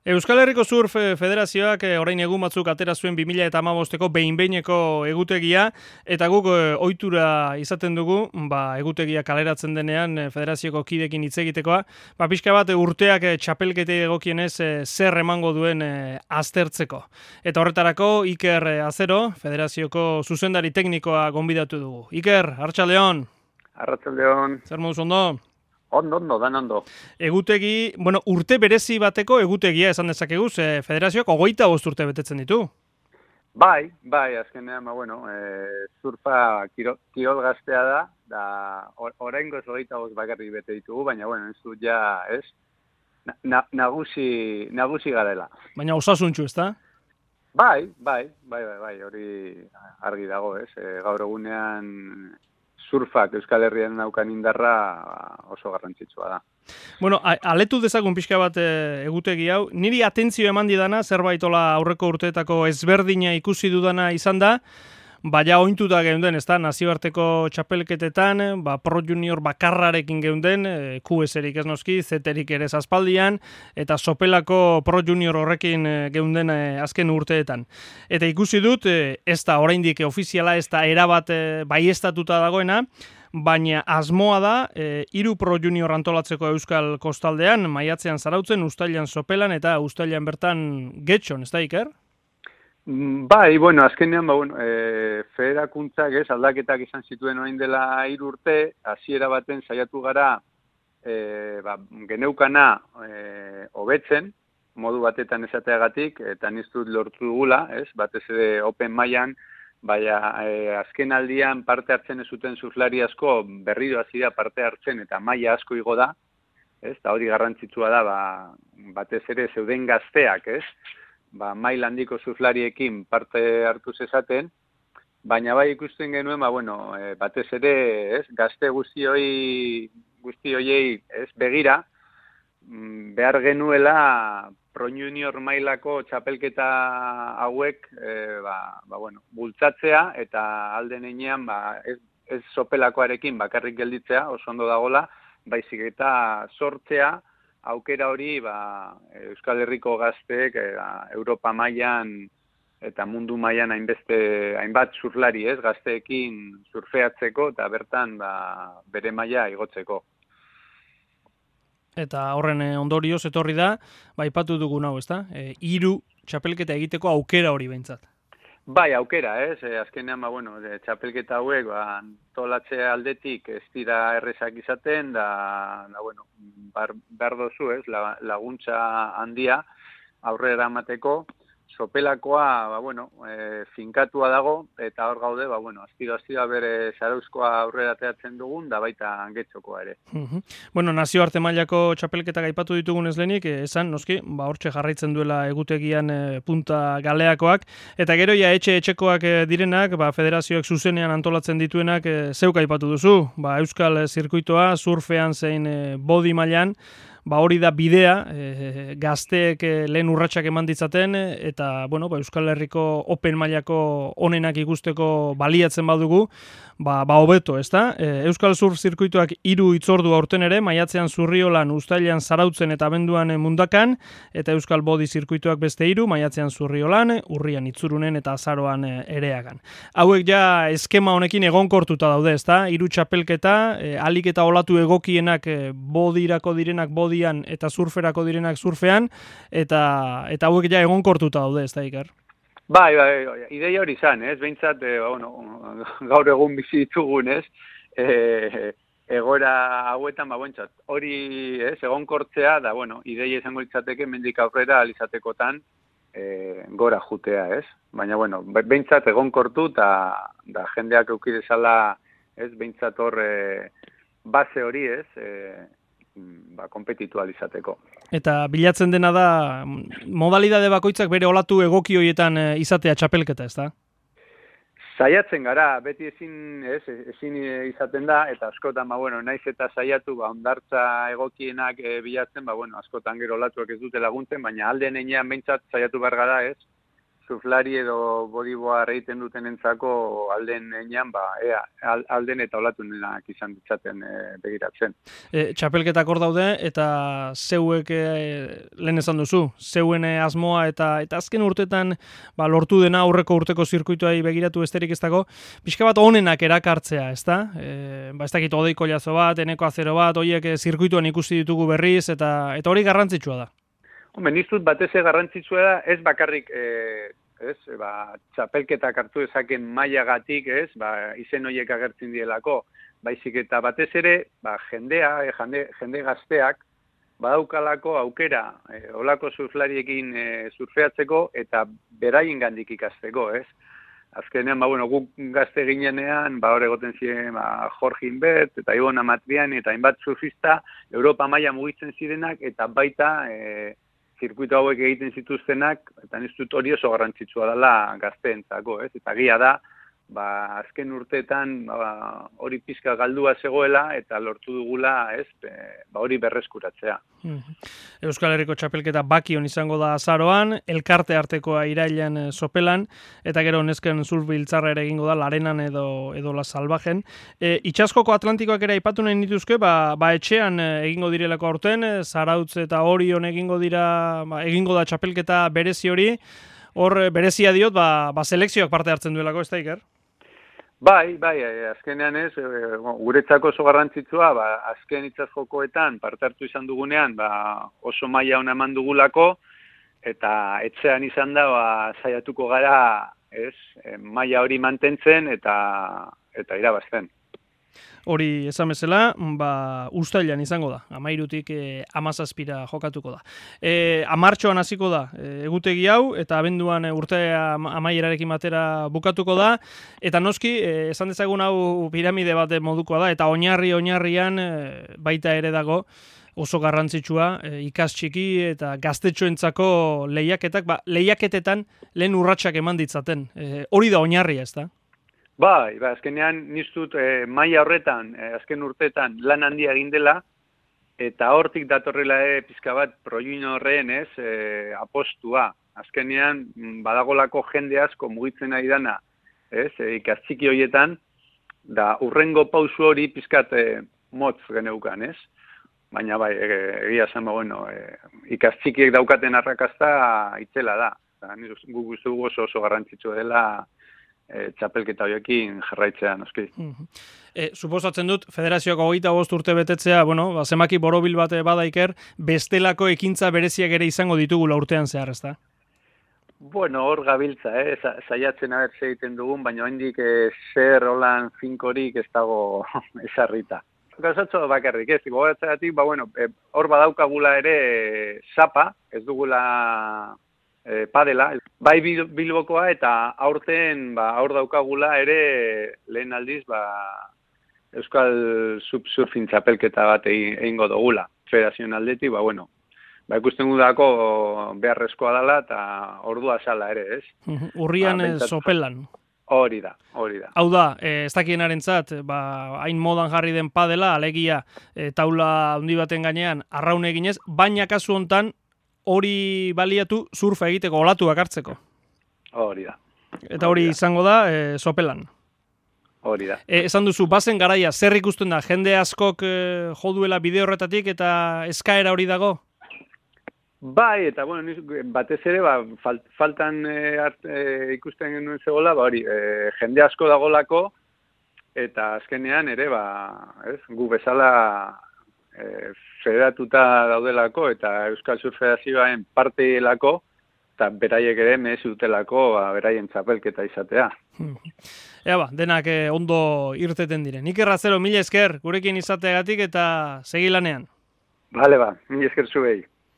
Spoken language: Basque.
Euskal Herriko Surf Federazioak orain egun batzuk atera zuen 2015ko behin-behineko egutegia, eta guk ohitura izaten dugu, egutegia kaleratzen denean federazioko kidekin hitz egitekoa, pixka bat urteak txapelketei egokienez zer emango duen aztertzeko. Eta horretarako Iker Azero, federazioko zuzendari teknikoa gonbidatu dugu. Iker, arratsaldeon. Arratsaldeon. Zer moduz ondo? Ondo, dan ondo. Egutegi, urte berezi bateko egutegia esan dezakegu, federazioak 25 urte betetzen ditu. Bai, azkenean, surfa kirol gaztea da oraingoz 25 bakarrik bete ditugu, baina, ez dut ja, nagusi garela. Baina osasuntxu, ezta? Bai, hori argi dago, gaur egunean surfak Euskal Herrian daukan indarra oso garrantzitsua da. Aletu dezagun pixka bat egutegi hau. Niri atentzio eman didana, zerbaitola aurreko urteetako ezberdina ikusi dudana izan da, baina ointuta geunden, ezta, nazioarteko txapelketetan, Pro Junior bakarrarekin geunden, QS-erik ez noski, Z-erik ere aspaldian, eta sopelako Pro Junior horrekin geunden azken urteetan. Eta ikusi dut, ez da oraindik ofiziala, ez da erabat baieztatuta dagoena, baina asmoa da 3 Pro Junior antolatzeko Euskal Kostaldean, maiatzean Zarautzen, uztailean Sopelan eta uztailean bertan Getxon, ez da, Iker? Bai, azkenean, federakuntzak aldaketak izan zituen orain dela 3 urte, hasiera baten saiatu gara geneukana hobetzen, modu batetan esateagatik, eta niztut lortu dugula, batez ere open mailan, azken aldian parte hartzen ez zuten surflari asko berriro hasi da parte hartzen eta maila asko igo da, eta hori garrantzitsua da, batez ere zeuden gazteak, maila handiko surflariekin parte hartu zezaten, baina ikusten genuen, batez ere, gazte guzti hoiei begira, behar genuela Pro Junior mailako txapelketa hauek bultzatzea eta alden heinean ez sopelakoarekin bakarrik gelditzea, oso ondo dagola, baizik eta sortzea aukera hori Euskal Herriko gazteek Europa mailan eta mundu mailan hainbat surflari gazteekin surfeatzeko eta bertan bere maila igotzeko. Eta horren ondorioz etorri da, aipatu dugun hau, ezta? 3 txapelketa egiteko aukera hori behintzat. Bai, aukera, azkenean, txapelketa hauek, antolatzea aldetik ez dira errezak izaten, behar dozu, laguntza handia aurrera emateko, sopelakoa, finkatua dago, eta hor gaude, aztira bere Zarauzkoa aurrera teatzen dugun, da baita Getxokoa ere. Nazioarte mailako txapelketak aipatu ditugunez lehenik, esan, noski, hortxe jarraitzen duela egutegian punta galeakoak, eta gero etxekoak direnak, federazioak zuzenean antolatzen dituenak, zeuk aipatu duzu, Euskal Zirkuitoa, surfean zein body mailan, hori da bidea, gazteek lehen urratsak eman ditzaten, eta Euskal Herriko open mailako onenak ikusteko baliatzen badugu, hobeto, ezta? Euskal Surf Zirkuituak 3 hitzordu aurten ere, maiatzean Zurriolan, uztailean Zarautzen eta abenduan Mundakan, eta Euskal Body Zirkuituak beste 3, maiatzean Zurriolan, urrian Itzurunen eta azaroan Ereagan. Hauek ja eskema honekin egonkortuta daude, ezta? 3 txapelketa, alik eta olatu egokienak bodirako direnak bodian eta surferako direnak surfean, eta hauek ja egonkortuta daude, ez da, Iker? Bai, ideia hori izan, behintzat, gaur egun bizi ditugun, egoera hauetan, hori, egonkortzea, da, ideia izango litzateke, mendik aurrera alizatekotan gora jutea, Baina, behintzat egonkortu, da jendeak eukidezala, behintzat hor base hori, kompetitualizateko. Eta bilatzen dena da, modalidade bakoitzak bere olatu egoki horietan izatea txapelketa, ez da? Saiatzen gara, beti ezin izaten da, eta askotan, naiz eta saiatu, ondartza egokienak bilatzen, askotan gero olatuak ez dute laguntzen, baina alden heinean behintzat saiatu behar gara, surflari edo bodyboard egiten duten entzako alden enean, alden eta olatunenak izan ditzaten begiratzen. Txapelketak hor daude, eta zeuek lehen esan duzu, zeuen asmoa eta azken urtetan lortu dena aurreko urteko zirkuituai begiratu besterik ez dago, pixka bat onenak erakartzea, ezta? Ez dakit odeiko jazo bat, eneko azero bat, horiek zirkuituan ikusi ditugu berriz, eta hori garrantzitsua da. Niztut batez garrantzitsua da, ez bakarrik txapelketak hartu ezaken mailagatik, izen horiek agertzen dielako, baizik eta batez ere, jende gazteak, badaukalako aukera, olako surflariekin surfeatzeko eta beraien gandik ikasteko, ez? Azkenean, guk gazte ginenean, hor egoten ziren Jorge Inbert, eta Ibon Amatrian, eta hainbat surfista, Europa maila mugitzen zirenak, eta baita zirkuito hauek egiten zituztenak, eta niztut hori oso garrantzitsua dela gazteentzako, ez? Eta gia da, azken urteetan hori pizka galdua zegoela, eta lortu dugula, ez? Hori berreskuratzea. Euskal Herriko txapelketa Bakion izango da azaroan, elkarte artekoa irailean Sopelan, eta gero nesken surf biltzarra ere egingo da Larenan edo La Salvajen. Itsaskoko Atlantikoak ere aipatu nahi nituzke, etxean egingo direlako aurten, Zarautz eta Orion egingo da txapelketa berezi hori, hor berezia diot, selekzioak parte hartzen duelako, ez da, Iker? Bai, azkenean ez, guretzako oso garrantzitsua, azken itsaskokoetan parte hartu izan dugunean, oso maila ona eman dugulako, eta etxean izan da, saiatuko gara, ez, maila hori mantentzen eta irabazten. Hori esan bezala, uztailean izango da, 13tik 17ra jokatuko da. Martxoan hasiko da egutegi hau, eta abenduan urtea amaierarekin batera bukatuko da, eta noski, esan dezagun hau piramide bat modukoa da, eta oinarrian baita ere dago, oso garrantzitsua, ikas txiki eta gaztetxoentzako lehiaketak, lehiaketetan lehen urratsak eman ditzaten. Hori da oinarria, ez da? Bai, azkenean niztut maila horretan, azken urtetan lan handia egin dela, eta hortik datorrela pizka bat proiuin horren apostua. Azkenean badagolako jende asko mugitzen ari dana, ikastxiki horietan, da urrengo pausu hori pizkat motz geneukan, ez? Baina bai, egia zen, ikastxikiek daukaten arrakasta itzela da. Guk uste dugu oso garrantzitsua dela txapelketa horiekin jarraitzea, noski. Suposatzen dut, federazioak 25 urte betetzea, zemaki borobil bat bada, Iker, bestelako ekintza bereziak ere izango ditugula urtean zehar, ez da? Hor gabiltza, saiatzen abertze egiten dugun, baina hendik zer holan finkorik ez dago esarrita. Gauzatxo bakarrik, ez, gogoratzagatik, hor badaukagula ere sapa, ez dugula padela, bai Bilbokoa eta aurten aur daukagula ere lehen aldiz Euskal Surfing txapelketa bat egingo dugula. Federazioen aldetik, ikusten gudako beharrezkoa dela eta ordua sala ere, ez? Urrian Sopelan. Hori da. Hau da, ez dakienarentzat, hain modan jarri den padela, alegia taula handi baten gainean arraun eginez, baina kasu hontan hori baliatu surfa egiteko, olatuak hartzeko. Hori da. Eta hori izango da Sopelan. Hori da. Esan duzu, bazen garaia, zer ikusten da, jende askok joduela bide horretatik eta eskaera hori dago? Bai, eta batez ere, faltan ikusten genuen zegoela, jende asko dagolako, eta azkenean ere, gu bezala federatuta daudelako eta Euskal Surf Federazioaren parteelako eta beraiek ere merezi dutelako beraien txapelketa izatea. Denak ondo irteten diren. Iker Razero, mila esker gurekin izateagatik eta segi lanean. Bale, mila esker zuei.